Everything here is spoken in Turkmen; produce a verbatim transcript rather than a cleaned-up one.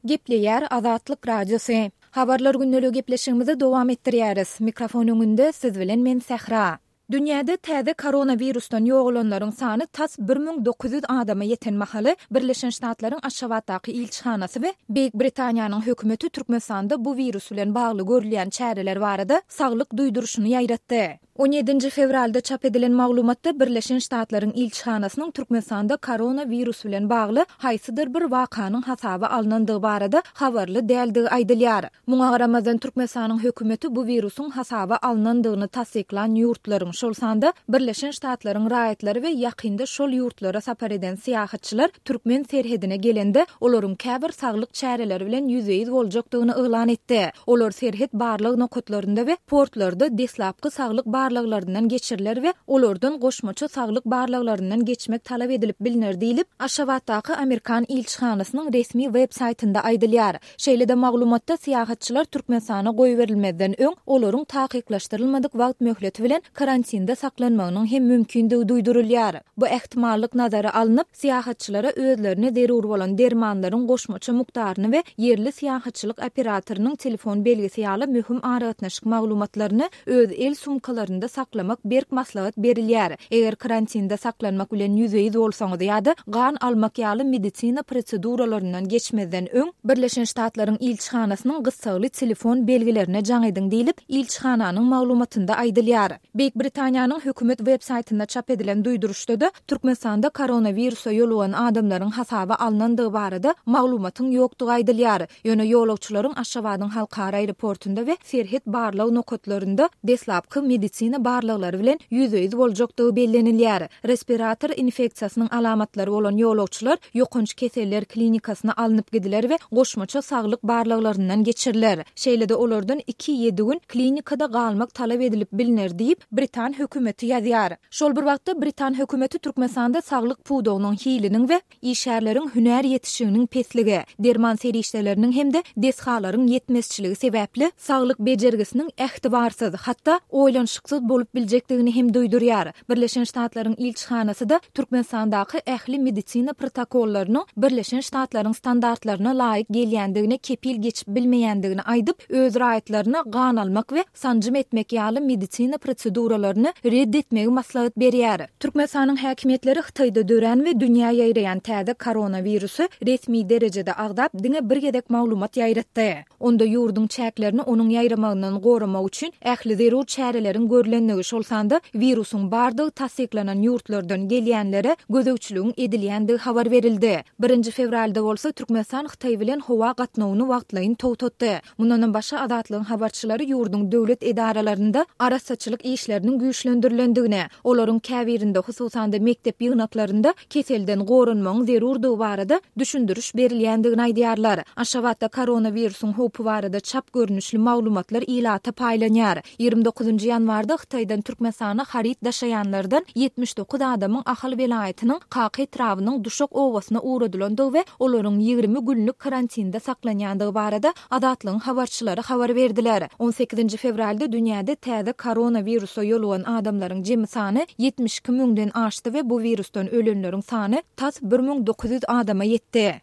Gepleýär Azatlyk Radiosy. Habarlar gündeligi gepleşigimizi dowam etdirýäris. Mikrofon öňünde siz bilen men Sähra. Dünýäde täze koronawirusdan ýogalanlaryň sany tas bir müň dokuz ýüz adama ýeten mahaly, Birleşen Ştatlaryň Aşgabatdaky ilçihanasy we Beýik Britaniýanyň hökümeti Türkmenistanda bu wirus bilen bagly görülýän çäreler barada saglyk duýduryşyny ýaýratdy. On ýedinji fewralda çap edilen maglumatda Birleşen Ştatlaryň ilçihanasynyň Türkmenistanda koronawirus bilen bagly haýsydyr bir wakanyň hasaba alnandygy barada habarly däldigi aýdylýar. Muňa garamazdan, Türkmenistanyň hökümeti bu wirusyň hasaba alnandygyny tassyklan ýurtlaryň, şol sanda Birleşen Ştatlaryň raýatlary we ýakynda şol ýurtlara sapar eden syýahatçylar türkmen serhedine gelende, olaryň käbir saglyk çäreleri bilen ýüzbe-ýüz boljakdygyny yglan etdi. Olar serhet barlag nokatlarynda we portlarda deslapky saglyk barlaglaryndan geçiriler we olardan goşmaça saglyk barlaglaryndan geçmek talap edilip bilner diýlip, Aşgabatdaky amerikan ilçihanasynyň resmi web saýtynda aýdylýar. Şeýle-de maglumatda syýahatçylar Türkmenistana goýberilmezden öň olaryň takyklaşdyrylmadyk wagt möhleti bilen karantinde saklanmagynyň hem mümkindigi duýdurylýar. Bu ähtimallyk nazara alnyp, syýahatçylara özlerine zerur bolan dermanlaryň goşmaça mukdaryny we ýerli syýahatçylyk operatorynyň telefon belgisi ýaly möhüm aragatnaşyk maglumatlaryny öz el sumkalarynda saklamak berk maslahat berilýär. Eger karantinde saklanmak bilen ýüzbe-ýüz bolsaňyz ýa-da gan almak ýaly medisina proseduralaryndan geçmezden öň, Birleşen Ştatlaryň ilçihanasynyň gyssagly telefon belgilerine jaň ediň diýlip, ilçihananyň maglumatynda aýdylýar. Beýik Britaniýanyň hökümet web saýtynda çap edilen duýduryşda-da Türkmenistanda koronawirusa ýolugan adamlaryň hasaba alnandygy barada maglumatyň ýokdugy aýdylýar. Ýöne ýolagçylaryň Aşgabadyň halkara aeroportunda we serhet barlag nokatlarynda deslapky medisina barlaglary bilen ýüzbe-ýüz boljakdygy bellenilýär. Respirator infeksiýasynyň alamatlary bolan ýolagçylar ýokanç keseller klinikasyna alnyp gidiler we goşmaça saglyk barlaglaryndan geçiriler. Şeýle-de olardan iki-ýedi gün klinikada galmak talap edilip bilner diýip, britan hökümeti ýazýar. Şol bir wagtda britan hökümeti Türkmenistanda saglyk pudagynyň hiliniň we işgärleriň hünär ýetişiginiň pesligi, derman serişdeleriniň hem-de desgalaryň ýetmezçiligi sebäpli saglyk bejergisiniň ähtibarsyz, hatda oýlanyşyksyz bolup biljekdigini hem duýdurýar. Birleşen Ştatlaryň ilçihanasy-da Türkmenistandaky ähli medisina protokollarynyň Birleşen Ştatlaryň standartlaryna laýyk gelýändigine kepil geçip bilmeýändigini aýdyp, öz raýatlaryna gan almak we sanjym etmek ýaly medisina proseduralaryny red etmegi maslahat berýär. Türkmenistanyň häkimiýetleri Hytaýda dörän we dünýä ýaýraýan täze koronawirusy resmi derejede agzap, diňe bir gezek maglumat ýaýratdy. Onda ýurduň çäklerini onuň ýaýramagyndan goramak üçin ähli zerur çäreleriň görlendigi, şol sanda wirusyň bardygy tassyklanan ýurtlardan gelýänlere gözegçiligiň edilýändigi habar berildi. Birinji fewralda bolsa Türkmenistan Hytaý bilen howa gatnawyny wagtlaýyn togtatdy. Mundanam başga Azatlygyň habarçylary ýurduň döwlet edaralarynda arassaçylyk işleriniň güýçlendirilendigini, olaryň käbirinde, hususan-da mekdep ýygnaklarynda keselden goranmagyň zerurdygy barada düşündiriş berilýändigini aýdýarlar. Aşgabatda koronawirusyň howpy barada çap görnüşli maglumatlar ilata paýlanýar. Ýigrimi dokuzynjy ýanwarda Hytaýdan Türkmenistana haryt daşaýanlardan ýetmiş dokuz adamyň Ahal welaýatynyň Kaka etrabynyň Duşak obasyna ugradylandygy we olaryň ýigrimi günlük karantinde saklanýandygy barada Azatlygyň habarçylary habar berdiler. On sekizinji fewralda dünýäde täze koronawirusa ýolugan adamlaryň jemi sany ýetmiş iki müňden aşdy we bu wirusdan ölenleriň sany tas bir müň dokuz ýüz adama ýetdi.